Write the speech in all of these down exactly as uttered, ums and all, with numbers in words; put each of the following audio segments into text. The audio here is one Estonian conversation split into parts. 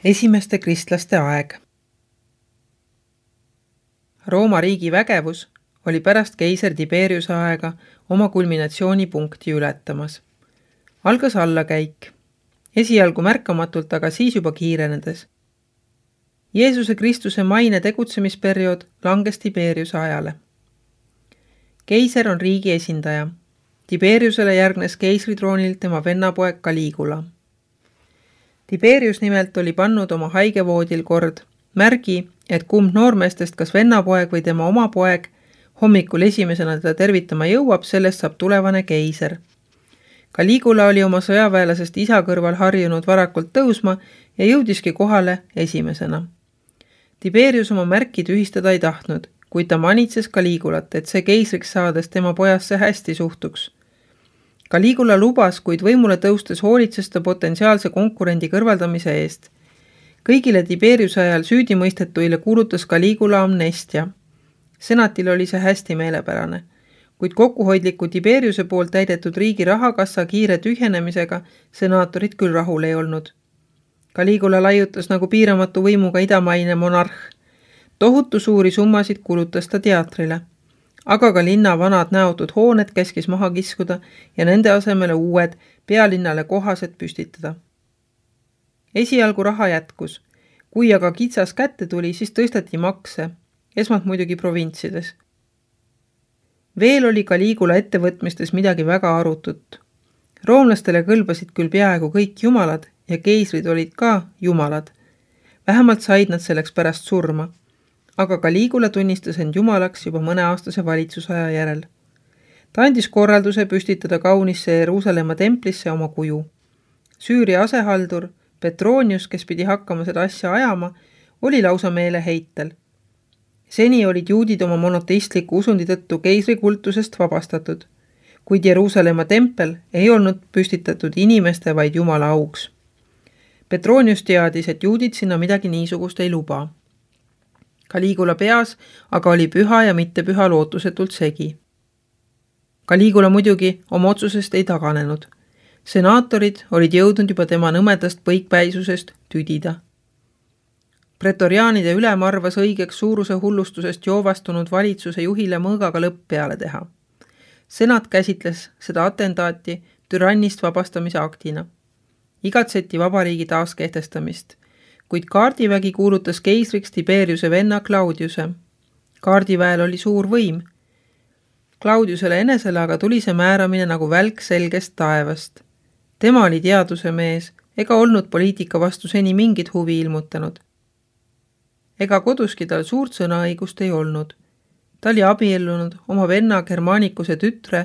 Esimeste kristlaste aeg. Rooma riigi vägevus oli pärast keiser Tiberiuse aega oma kulminatsioonipunkti ületamas. Algas allakäik, esialgu märkamatult, aga siis juba kiirenedes. Jeesuse Kristuse maine tegutsemisperiood langes Tiberiuse ajale. Keiser on riigi esindaja. Tiberiusele järgnes keisritroonil tema vennapoeg Caligula. Tiberius nimelt oli pannud oma haigevoodil kord märgi, et kumb noormeestest, kas vennapoeg või tema oma poeg, hommikul esimesena teda tervitama jõuab, sellest saab tulevane keiser. Caligula oli oma sõjaväelasest isa kõrval harjunud varakult tõusma ja jõudiski kohale esimesena. Tiberius oma märki tühistada ei tahtnud, kuid ta manitses Caligulat, et see keisriks saades tema pojasse hästi suhtuks. Caligula lubas, kuid võimule tõustes hoolitses ta potentsiaalse konkurendi kõrvaldamise eest. Kõigile Tiberiuse ajal süüdimõistetuile kuulutas Caligula amnestia. Senatil oli see hästi meelepärane, kuid kokkuhoidliku Tiberiuse poolt täidetud riigi rahakassa kiire tühjenemisega senaatorid küll rahul ei olnud. Caligula laiutas nagu piiramatu võimuga idamaine monarh. Tohutu suuri summasid kulutas ta teatrile. Aga ka linna vanad näotud hooned käskis maha kiskuda ja nende asemele uued pealinnale kohased püstitada. Esialgu raha jätkus. Kui aga kitsas kätte tuli, siis tõsteti makse, esmalt muidugi provintsides. Veel oli Caligula ettevõtmistes midagi väga arutut. Roomlastele kõlbasid küll peaaegu kõik jumalad ja keisrid olid ka jumalad. Vähemalt said nad selleks pärast surma. Aga Caligula tunnistas end jumalaks juba mõneaastase valitsusaja järel. Ta andis korralduse püstitada kaunisse Jeruusalemma templisse oma kuju. Süüria asehaldur Petronius, kes pidi hakkama seda asja ajama, oli lausa meeleheitel. Seni olid juudid oma monoteistliku usundi tõttu keisri kultusest vabastatud, kuid Jeruusalemma tempel ei olnud püstitatud inimeste, vaid jumala auks. Petronius teadis, et juudid sinna midagi niisugust ei luba. Caligula peas aga oli püha ja mitte püha lootusetult segi. Caligula muidugi oma otsusest ei taganenud. Senaatorid olid jõudnud juba tema nõmedast põikpäisusest tüdida. Pretoriaanide ülem arvas õigeks suuruse hullustusest joovastunud valitsuse juhile mõõgaga lõpp peale teha. Senat käsitles seda atentaati türannist vabastamise aktina. Igatseti vabariigi taaskehtestamist. Kuid kaardivägi kuulutas keisriks Tiberiuse venna Claudiuse. Kaardiväel oli suur võim. Claudiusele enesele aga tuli see määramine nagu välk selgest taevast. Tema oli teaduse mees ega olnud poliitika vastu seni mingit huvi ilmutanud. Ega koduski tal suurt sõnaõigust ei olnud. Ta oli abiellunud oma venna Germanicuse tütre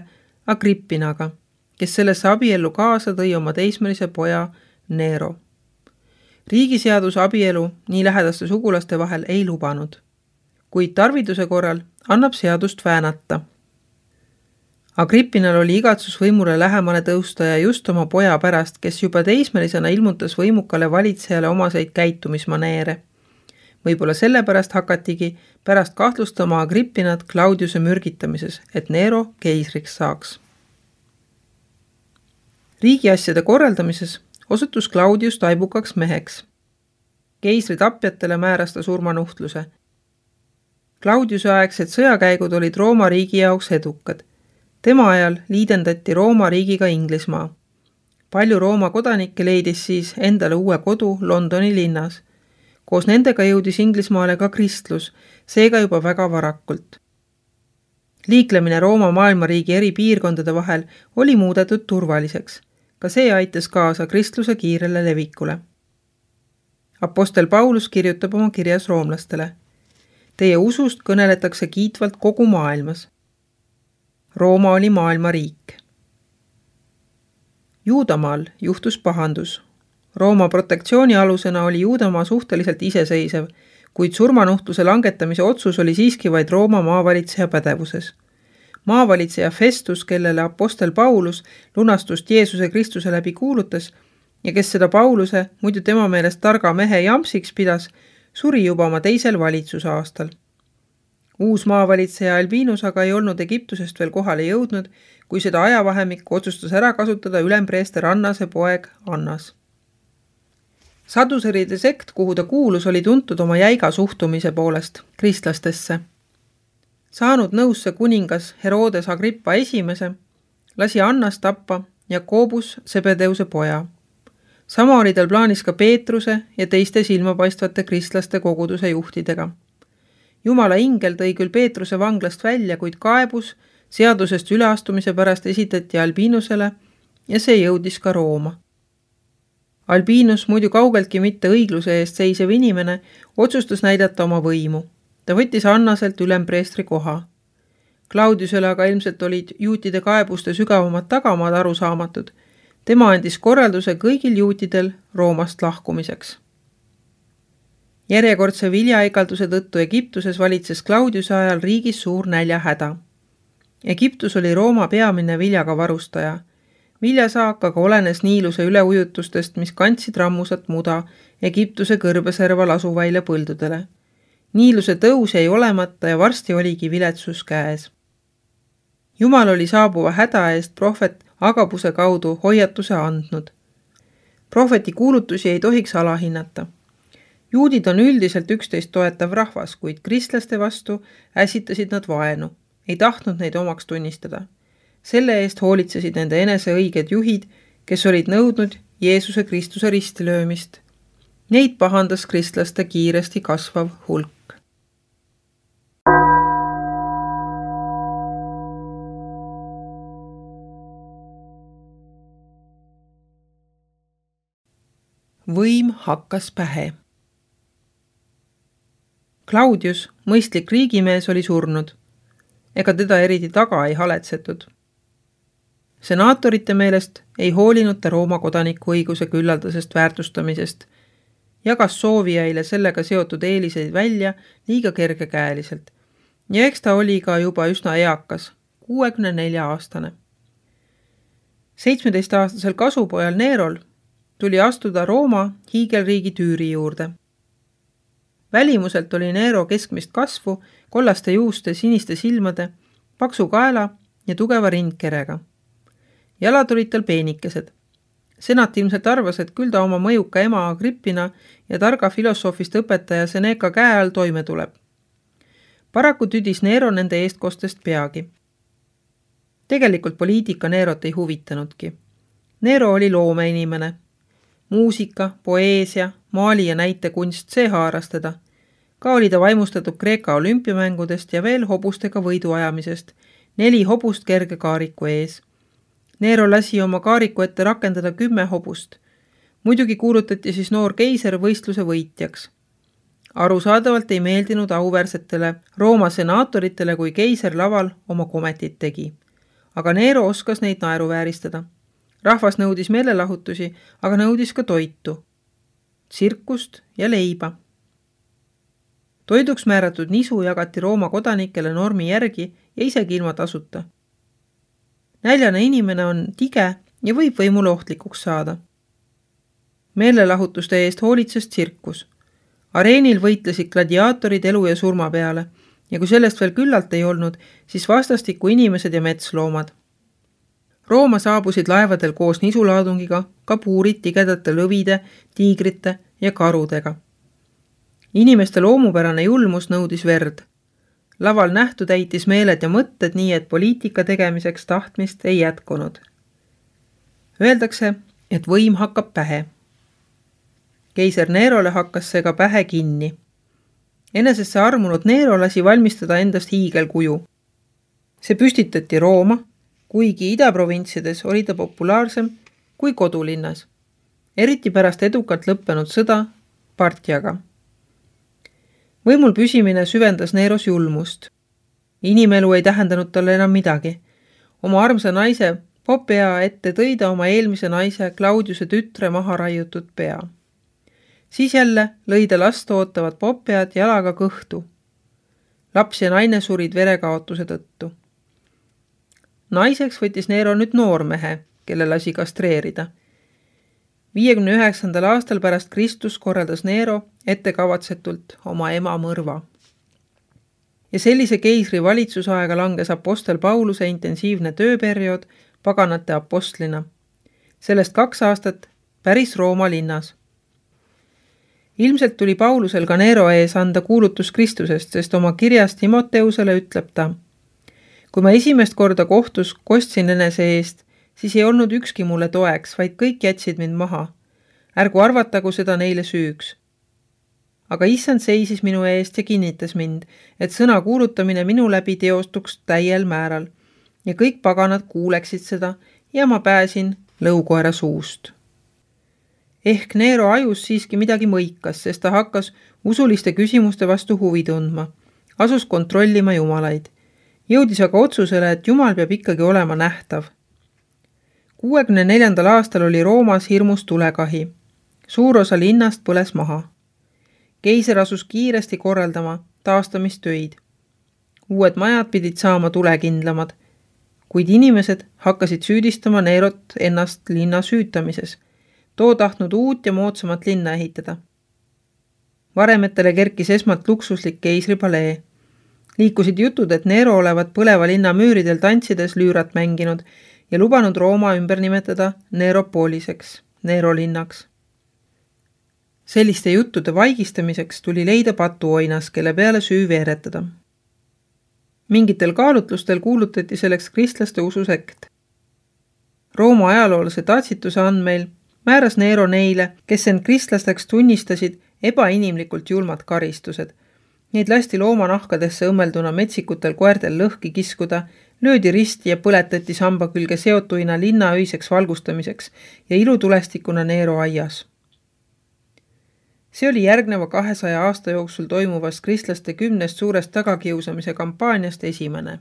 Agrippinaga, kes sellesse abiellu kaasa tõi oma teismelise poja Nero. Riigiseadus abielu nii lähedaste sugulaste vahel ei lubanud, kuid tarviduse korral annab seadust väänata. Agrippinal oli igatsus võimule lähemale tõusta ja just oma poja pärast, kes juba teismelisena ilmutas võimukale valitsejale omaseid käitumismaneere. Võib-olla sellepärast hakatigi pärast kahtlustama Agrippinat Claudiuse mürgitamises, et Nero keisriks saaks. Riigiasjade korraldamises osutus Claudius taibukaks meheks. Keisri tapjatele määras ta surmanuhtluse. Claudiuse aegsed sõjakäigud olid Rooma riigi jaoks edukad. Tema ajal liidendati Rooma riigiga Inglismaa. Palju Rooma kodanikke leidis siis endale uue kodu Londoni linnas. Koos nendega jõudis Inglismaale ka kristlus, seega juba väga varakult. Liiklemine Rooma maailmariigi eri piirkondade vahel oli muudetud turvaliseks. Ka see aitas kaasa kristluse kiirele levikule. Apostel Paulus kirjutab oma kirjas roomlastele. Teie usust kõneletakse kiitvalt kogu maailmas. Rooma oli maailma riik. Juudamaal juhtus pahandus. Rooma protektsiooni alusena oli Juudamaa suhteliselt iseseisev, kuid surmanuhtluse langetamise otsus oli siiski vaid Rooma maavalitseja pädevuses. Maavalitseja Festus, kellele apostel Paulus lunastust Jeesuse Kristuse läbi kuulutas ja kes seda Pauluse, muidu tema meelest targa mehe jamsiks pidas, suri juba oma teisel valitsusaastal. Uus maavalitseja Albinus aga ei olnud Egiptusest veel kohale jõudnud, kui seda ajavahemikku otsustas ära kasutada ülempreester Annase poeg Annas. Saduseride sekt, kuhu ta kuulus, oli tuntud oma jäiga suhtumise poolest kristlastesse. Saanud nõusse kuningas Herodes Agrippa esimese, lasi Annast tappa Jakobus Sebedeuse poja. Sama oli tal plaanis ka Peetruse ja teiste silmapaistvate kristlaste koguduse juhtidega. Jumala ingel tõi küll Peetruse vanglast välja, kuid kaebus seadusest üleastumise pärast esitati Albinusele ja see jõudis ka Rooma. Albinus, muidu kaugeltki mitte õigluse eest seisev inimene, otsustas näidata oma võimu. Ta võttis Annaselt ülempreestri koha. Claudiusele aga ilmselt olid juutide kaebuste sügavamad tagamaad arusaamatud. Tema andis korralduse kõigil juutidel Roomast lahkumiseks. Järjekordse viljaikalduse tõttu Egiptuses valitses Claudiuse ajal riigis suur näljahäda. Egiptus oli Rooma peamine viljaga varustaja. Viljasaak aga olenes Niiluse üleujutustest, mis kandsid rammusat muda Egiptuse kõrbeserval asuvaile põldudele. Niiluse tõus jäi olemata ja varsti oligi viletsus käes. Jumal oli saabuva häda eest prohvet Agabuse kaudu hoiatuse andnud. Prohveti kuulutusi ei tohiks alahinnata. Juudid on üldiselt üksteist toetav rahvas, kuid kristlaste vastu ässitasid nad vaenu, ei tahtnud neid omaks tunnistada. Selle eest hoolitsesid nende enese õiged juhid, kes olid nõudnud Jeesuse Kristuse ristilöömist. Neid pahandas kristlaste kiiresti kasvav hulk. Võim hakkas pähe. Claudius, mõistlik riigimees, oli surnud. Ega teda eriti taga ei haletsetud. Senaatorite meelest ei hoolinud ta Rooma kodaniku õiguse küllaldasest väärtustamisest, jagas soovijaile sellega seotud eeliseid välja liiga kergekäeliselt ja eks ta oli ka juba üsna eakas, kuuekümne nelja aastane. seitsmeteistaastasel kasupojal Nerol tuli astuda Rooma hiigelriigi tüüri juurde. Välimuselt oli Nero keskmist kasvu, kollaste juuste, siniste silmade, paksu kaela ja tugeva rindkerega. Jalad olid tal peenikesed. Senat ilmselt arvas, et küll ta oma mõjuka ema Agrippina ja targa filosoofist õpetaja Seneca käe all toime tuleb. Paraku tüdis Nero nende eestkostest peagi. Tegelikult poliitika Nerot ei huvitanudki. Nero oli loomeinimene. Muusika, poeesia, maali ja näitekunst, see haaras teda. Ka oli ta vaimustatud Kreeka olümpiamängudest ja veel hobustega võidu ajamisest, neli hobust kerge kaariku ees. Nero lasi oma kaariku ette rakendada kümme hobust. Muidugi kuulutati siis noor keiser võistluse võitjaks. Arusaadavalt ei meeldinud auväärsetele Rooma senaatoritele, kui keiser laval oma kometit tegi. Aga Nero oskas neid naeruvääristada. Rahvas nõudis meelelahutusi, aga nõudis ka toitu, tsirkust ja leiba. Toiduks määratud nisu jagati Rooma kodanikele normi järgi ja isegi ilma tasuta. Näljane inimene on tige ja võib võimule ohtlikuks saada. Meelelahutuste eest hoolitses tsirkus. Areenil võitlesid gladiaatorid elu ja surma peale ja kui sellest veel küllalt ei olnud, siis vastastikku inimesed ja metsloomad. Rooma saabusid laevadel koos nisulaadungiga ka puurid tigedate lõvide, tiigrite ja karudega. Inimeste loomupärane julmus nõudis verd. Laval nähtu täitis meeled ja mõtted nii, et poliitika tegemiseks tahtmist ei jätkunud. Öeldakse, et võim hakkab pähe. Keiser Nerole hakkas see ka pähe kinni. Enesesse armunud Nero lasi valmistada endast hiigelkuju. See püstitati Rooma, kuigi idaprovintsides oli ta populaarsem kui kodulinnas, eriti pärast edukalt lõppenud sõda Partjaga. Võimul püsimine süvendas Neros julmust. Inimelu ei tähendanud talle enam midagi. Oma armsa naise Popea ette tõi ta oma eelmise naise Claudiuse tütre maha raiutud pea. Siis jälle lõi ta last ootavad Popead jalaga kõhtu. Laps ja naine surid verekaotuse tõttu. Naiseks võttis Nero nüüd noormehe, kelle lasi kastreerida. viiekümne üheksandal aastal pärast Kristus korraldas Nero ettekavatsetult oma ema mõrva. Ja sellise keisri valitsusaega langes apostel Pauluse intensiivne tööperiood paganate apostlina. Sellest kaks aastat päris Rooma linnas. Ilmselt tuli Paulusel ka Neero ees anda kuulutus Kristusest, sest oma kirjas Timoteusele ütleb ta: kui ma esimest korda kohtus kostsin enese eest, siis ei olnud ükski mulle toeks, vaid kõik jätsid mind maha. Ärgu arvatagu seda neile süüks. Aga issand seisis minu eest ja kinnitas mind, et sõna kuulutamine minu läbi teostuks täiel määral ja kõik paganad kuuleksid seda ja ma pääsin lõukoera suust. Ehk Neero ajus siiski midagi mõikas, sest ta hakkas usuliste küsimuste vastu huvi tundma, asus kontrollima jumalaid. Jõudis aga otsusele, et jumal peab ikkagi olema nähtav. kuuekümne neljandal aastal oli Roomas hirmus tulekahi. Suur osa linnast põles maha. Keiser asus kiiresti korraldama taastamistöid. Uued majad pidid saama tulekindlamad, kuid inimesed hakkasid süüdistama Neerot ennast linna süütamises. Too tahtnud uut ja moodsamat linna ehitada. Varemetele kerkis esmalt luksuslik keisripalee. Liikusid jutud, et Neero olevat põleva linna müüridel tantsides lüürat mänginud ja lubanud Rooma ümber nimetada Neeropoliseks, Neero linnaks. Selliste juttude vaigistamiseks tuli leida patuoinas, kelle peale süü veeretada. Mingitel kaalutlustel kuulutati selleks kristlaste ususekt. Rooma ajaloolase Tatsituse andmeil määras Neero neile, kes end kristlasteks tunnistasid, ebainimlikult julmad karistused. Neid lasti loomanahkadesse õmmelduna metsikutel koertel lõhki kiskuda, löödi risti ja põletati samba külge seotuina linna öiseks valgustamiseks ja ilutulestikuna Neero aias. See oli järgneva kahesaja aasta jooksul toimuvast kristlaste kümnest suurest tagakiusamise kampaaniast esimene.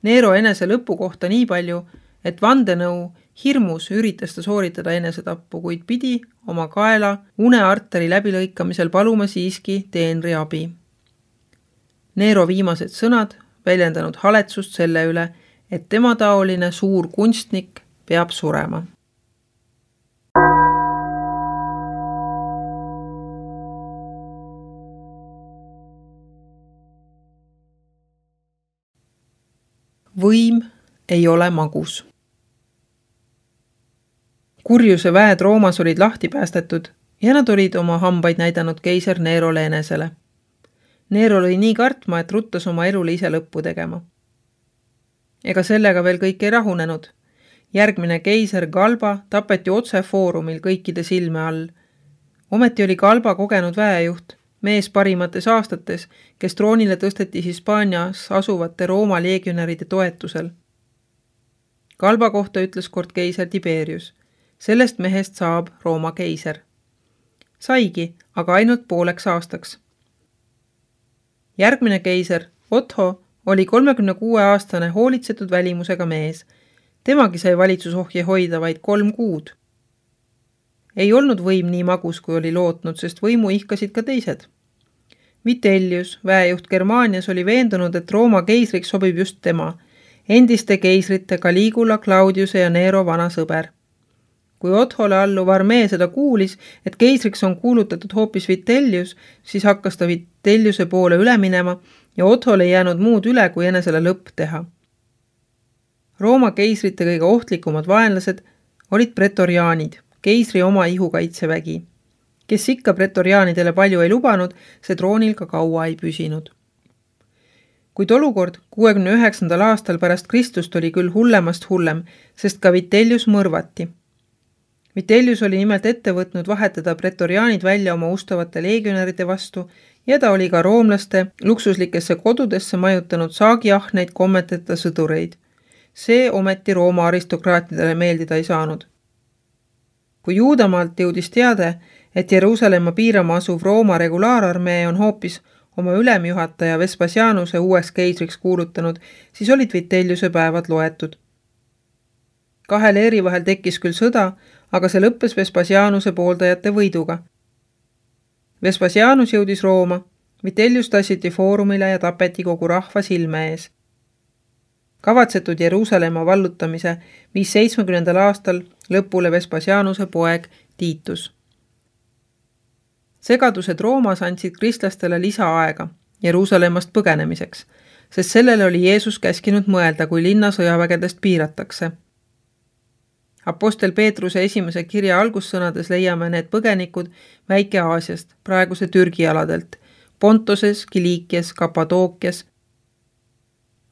Neero enese lõpu kohta nii palju, et vandenõu hirmus üritas ta sooritada enesetappu, kuid pidi oma kaela unearteri läbilõikamisel paluma siiski teenri abi. Neero viimased sõnad väljendanud haletsust selle üle, et tema taoline suur kunstnik peab surema. Võim ei ole magus. Kurjuse väed Roomas olid lahti päästetud ja nad olid oma hambaid näidanud keiser Neerole enesele. Neero oli nii kartma, et ruttas oma elule ise lõppu tegema. Ega sellega veel kõik ei rahunenud. Järgmine keiser Galba tapeti otse foorumil kõikide silme all. Ometi oli Galba kogenud väejuht, mees parimates aastates, kes troonile tõsteti Hispaanias asuvate Rooma leegionäride toetusel. Galba kohta ütles kord keiser Tiberius. Sellest mehest saab Rooma keiser. Saigi, aga ainult pooleks aastaks. Järgmine keiser, Otho, oli kolmekümne kuue aastane hoolitsetud välimusega mees. Temagi sai valitsusohje hoida vaid kolm kuud. Ei olnud võim nii magus, kui oli lootnud, sest võimu ihkasid ka teised. Vitellius, väejuht Germaanias, oli veendunud, et Rooma keisriks sobib just tema, endiste keisrite Caligula, Claudiuse ja Neero vana sõber. Kui Othole alluv armee seda kuulis, et keisriks on kuulutatud hoopis Vitellius, siis hakkas ta Vitelliuse poole üle minema ja Othole ei jäänud muud üle, kui enesele lõpp teha. Rooma keisrite kõige ohtlikumad vaenlased olid pretoriaanid, keisri oma ihukaitsevägi. Kes ikka pretoriaanidele palju ei lubanud, see troonil ka kaua ei püsinud. Kuid olukord kuuekümne üheksandal aastal pärast Kristust oli küll hullemast hullem, sest ka Vitellius mõrvati. Vitellius oli nimelt ette võtnud vahetada pretoriaanid välja oma ustavate leegionäride vastu ja ta oli ka roomlaste luksuslikesse kodudesse majutanud saagiahneid kommeteta sõdureid. See ometi Rooma aristokraatidele meeldida ei saanud. Kui Juudamaalt jõudis teade, et Jeruusalemma piirama asuv Rooma regulaararmee on hoopis oma ülemjuhataja Vespasianuse uueks keisriks kuulutanud, siis olid Vitelliuse päevad loetud. Kahe leeri vahel tekkis küll sõda, aga see lõppes Vespasianuse pooldajate võiduga. Vespasianus jõudis Rooma, Vitellius tassiti foorumile ja tapeti kogu rahva silme ees. Kavatsetud Jeruusalemma vallutamise viis seitsmekümnendal aastal lõpule Vespasianuse poeg Tiitus. Segadused Roomas andsid kristlastele lisaaega Jeruusalemmast põgenemiseks, sest sellele oli Jeesus käskinud mõelda, kui linna sõjavägedest piiratakse. Apostel Peetruse esimese kirja algussõnades leiame need põgenikud Väike-Aasiast, praeguse Türgi aladelt, Pontoses, Kiliikias, Kapadookias.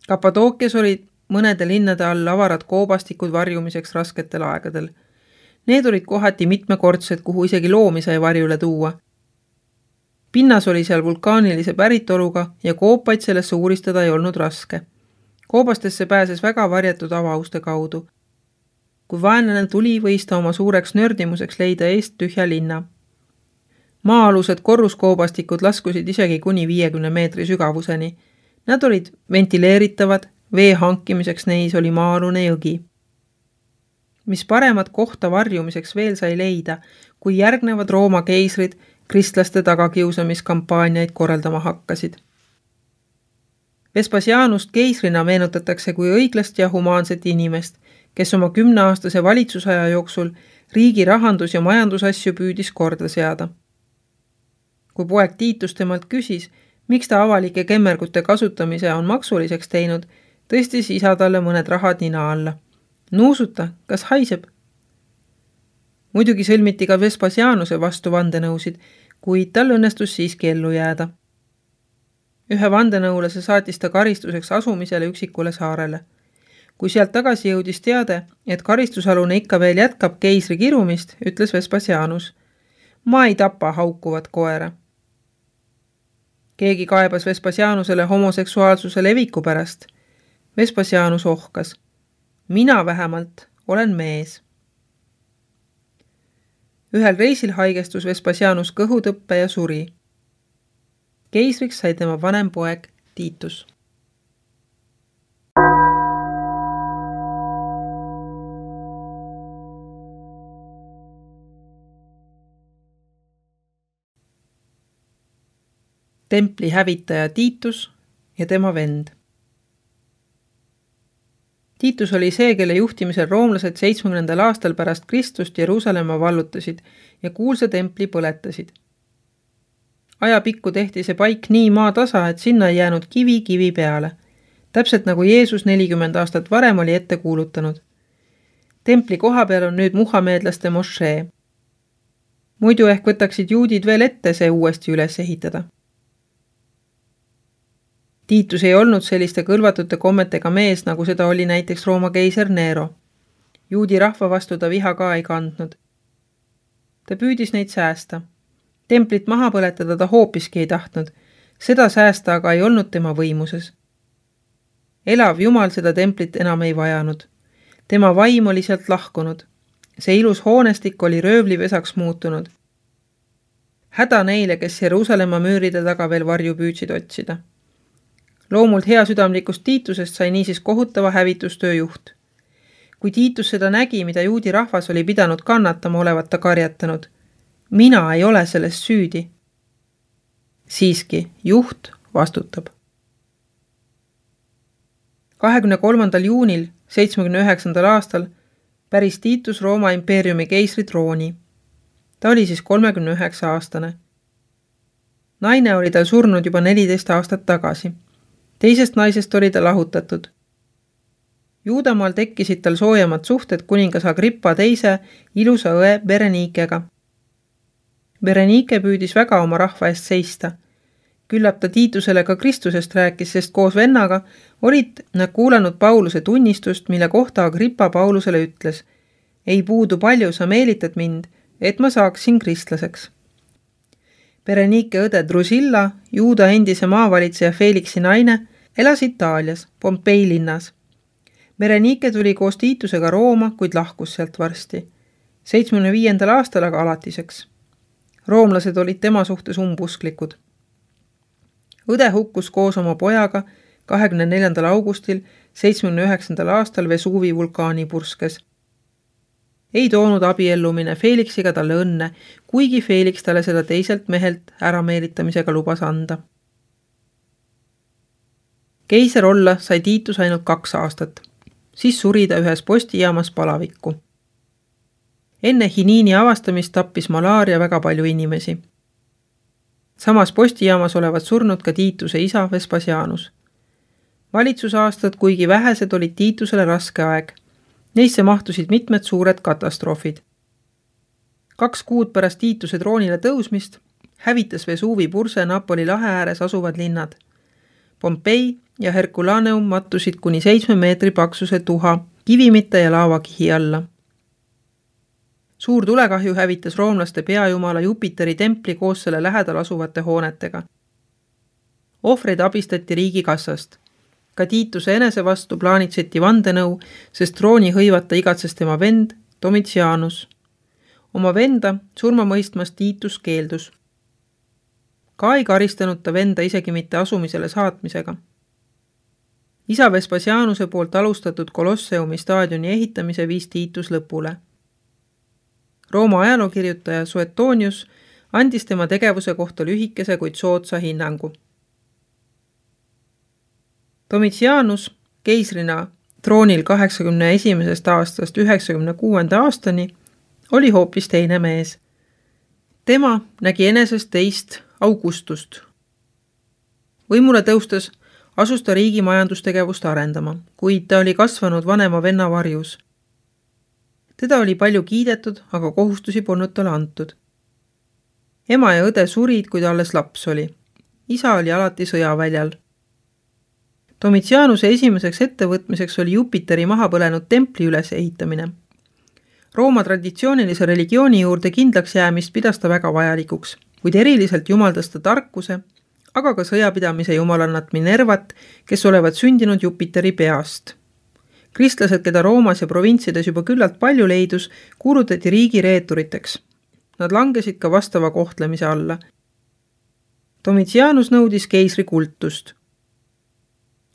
Kapadookias olid mõnede linnade all avarad koobastikud varjumiseks rasketel aegadel. Need olid kohati mitmekordsed, kuhu isegi loomi sai varjule tuua. Pinnas oli seal vulkaanilise päritoluga ja koopaid sellesse uuristada ei olnud raske. Koobastesse pääses väga varjatud avauste kaudu. Kui vaenlane tuli, võis ta oma suureks nördimuseks leida eest tühja linna. Maa-alused korruskoobastikud laskusid isegi kuni viiekümne meetri sügavuseni. Nad olid ventileeritavad, vee hankimiseks neis oli maa-alune jõgi. Mis paremat kohta varjumiseks veel sai leida, kui järgnevad Rooma keisrid kristlaste tagakiusamiskampaaniaid korraldama hakkasid. Vespasianust keisrina meenutatakse kui õiglast ja humaanset inimest, kes oma kümneaastase valitsusaja jooksul riigi rahandus- ja majandusasju püüdis korda seada. Kui poeg Tiitus temalt küsis, miks ta avalike kemmergute kasutamise on maksuliseks teinud, tõstis isa talle mõned rahad nina alla. Nuusuta, kas haiseb? Muidugi sõlmiti ka Vespasianuse vastu vandenõusid, kuid tal õnnestus siiski ellu jääda. Ühe vandenõulase saatis ta karistuseks asumisele üksikule saarele. Kui sealt tagasi jõudis teade, et karistusalune ikka veel jätkab keisri kirumist, ütles Vespasianus. Ma ei tapa haukuvat koera. Keegi kaebas Vespasianusele homoseksuaalsuse leviku pärast. Vespasianus ohkas. Mina vähemalt olen mees. Ühel reisil haigestus Vespasianus kõhutõppe ja suri. Keisriks sai tema vanem poeg Tiitus. Templi hävitaja Tiitus ja tema vend. Tiitus oli see, kelle juhtimisel roomlased seitsmekümnendal aastal pärast Kristust Jeruusalemma vallutasid ja kuulsa templi põletasid. Ajapikku tehti see paik nii maatasa, et sinna ei jäänud kivi kivi peale, täpselt nagu Jeesus nelikümmend aastat varem oli ette kuulutanud. Templi koha peal on nüüd muhameedlaste mošee. Muidu ehk võtaksid juudid veel ette see uuesti üles ehitada. Tiitus ei olnud selliste kõlvatute kommetega mees, nagu seda oli näiteks Rooma keiser Nero. Juudi rahva vastu ta viha ka ei kandnud. Ta püüdis neid säästa. Templit maha põletada ta hoopiski ei tahtnud. Seda säästa aga ei olnud tema võimuses. Elav Jumal seda templit enam ei vajanud. Tema vaim oli sealt lahkunud. See ilus hoonestik oli röövlivesaks muutunud. Häda neile, kes Jeruusalemma müüride taga veel varju püüdsid otsida. Loomult hea südamlikust Tiitusest sai niisiis kohutava hävitustöö juht. Kui Tiitus seda nägi, mida juudi rahvas oli pidanud kannatama, olevat ta karjatanud. Mina ei ole sellest süüdi. Siiski, juht vastutab. kahekümne kolmandal juunil seitsmekümne üheksandal aastal päris Tiitus Rooma impeeriumi keisri trooni. Ta oli siis kolmekümne üheksa aastane. Naine oli tal surnud juba neliteist aastat tagasi. Teisest naisest oli ta lahutatud. Juudamaal tekkisid tal soojemad suhted kuningas Agrippa teise ilusa õe Berenikega. Berenike püüdis väga oma rahva eest seista. Küllap ta Tiitusele ka Kristusest rääkis, sest koos vennaga olid nad kuulanud Pauluse tunnistust, mille kohta Agrippa Paulusele ütles. Ei puudu palju, sa meelitad mind, et ma saaksin kristlaseks. Berenike õde Drusilla, Juuda endise maavalitseja Felixi naine, elas Itaalias, Pompei linnas. Berenike tuli koos Tiitusega Rooma, kuid lahkus sealt varsti. seitsmekümne viiendal aastal aga alatiseks. Roomlased olid tema suhtes umbusklikud. Õde hukkus koos oma pojaga kahekümne neljandal augustil seitsmekümne üheksandal aastal Vesuvi vulkaani purskes. Ei toonud abiellumine Felixiga talle õnne, kuigi Felix talle seda teiselt mehelt ärameelitamisega lubas anda. Keiser olla sai Tiitus ainult kaks aastat. Siis suri ta ühes postijaamas palavikku. Enne hiniini avastamist tappis malaaria väga palju inimesi. Samas postijaamas olevat surnud ka Tiituse isa Vespasianus. Valitsusaastad, kuigi vähesed, olid Tiitusele raske aeg. Neisse mahtusid mitmed suured katastroofid. Kaks kuud pärast Tiituse troonile tõusmist hävitas Vesuvi purse Napoli lahe ääres asuvad linnad. Pompei ja Herculaneum mattusid kuni seitsme meetri paksuse tuha, kivimite ja laavakihi alla. Suur tulekahju hävitas roomlaste peajumala Jupiteri templi koos selle lähedal asuvate hoonetega. Ohvreid abistati riigikassast. Ka Tiituse enese vastu plaanitseti vandenõu, sest trooni hõivata igatses tema vend Domitianus. Oma venda surma mõistmas Tiitus keeldus. Ka ei karistanud ta venda isegi mitte asumisele saatmisega. Isa Vespasianuse poolt alustatud Kolosseumi staadioni ehitamise viis Tiitus lõpule. Rooma ajalookirjutaja Suetonius andis tema tegevuse kohta lühikese, kuid soodsa hinnangu. Domitianus keisrina troonil kaheksakümne esimesest aastast üheksakümne kuuenda aastani oli hoopis teine mees. Tema nägi enesest teist Augustust. Võimule tõustes asus ta riigi majandustegevust arendama, kuid ta oli kasvanud vanema venna varjus. Teda oli palju kiidetud, aga kohustusi polnud talle antud. Ema ja õde surid, kui ta alles laps oli. Isa oli alati sõjaväljal. Domitianuse esimeseks ettevõtmiseks oli Jupiteri maha põlenud templi üles ehitamine. Rooma traditsioonilise religiooni juurde kindlaks jäämist pidas ta väga vajalikuks, kuid eriliselt jumaldas ta tarkuse, aga ka sõjapidamise jumalannat Minervat, kes olevat sündinud Jupiteri peast. Kristlased, keda Roomas ja provintsides juba küllalt palju leidus, kuulutati riigi reeturiteks. Nad langesid ka vastava kohtlemise alla. Domitianus nõudis keisri kultust.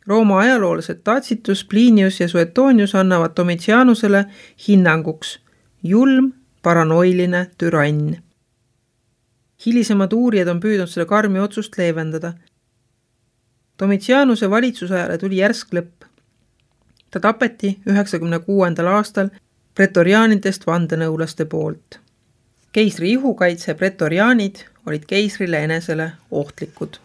Rooma ajaloolased Tacitus, Plinius ja Suetonius annavad Domitianusele hinnanguks julm, paranoiline türann. Hilisemad uurijad on püüdnud selle karmi otsust leevendada. Domitianuse valitsusajale tuli järsk lõpp. Ta tapeti üheksakümne kuuendal aastal pretoriaanidest vandenõulaste poolt. Keisri ihukaitse pretoriaanid olid keisrile enesele ohtlikud.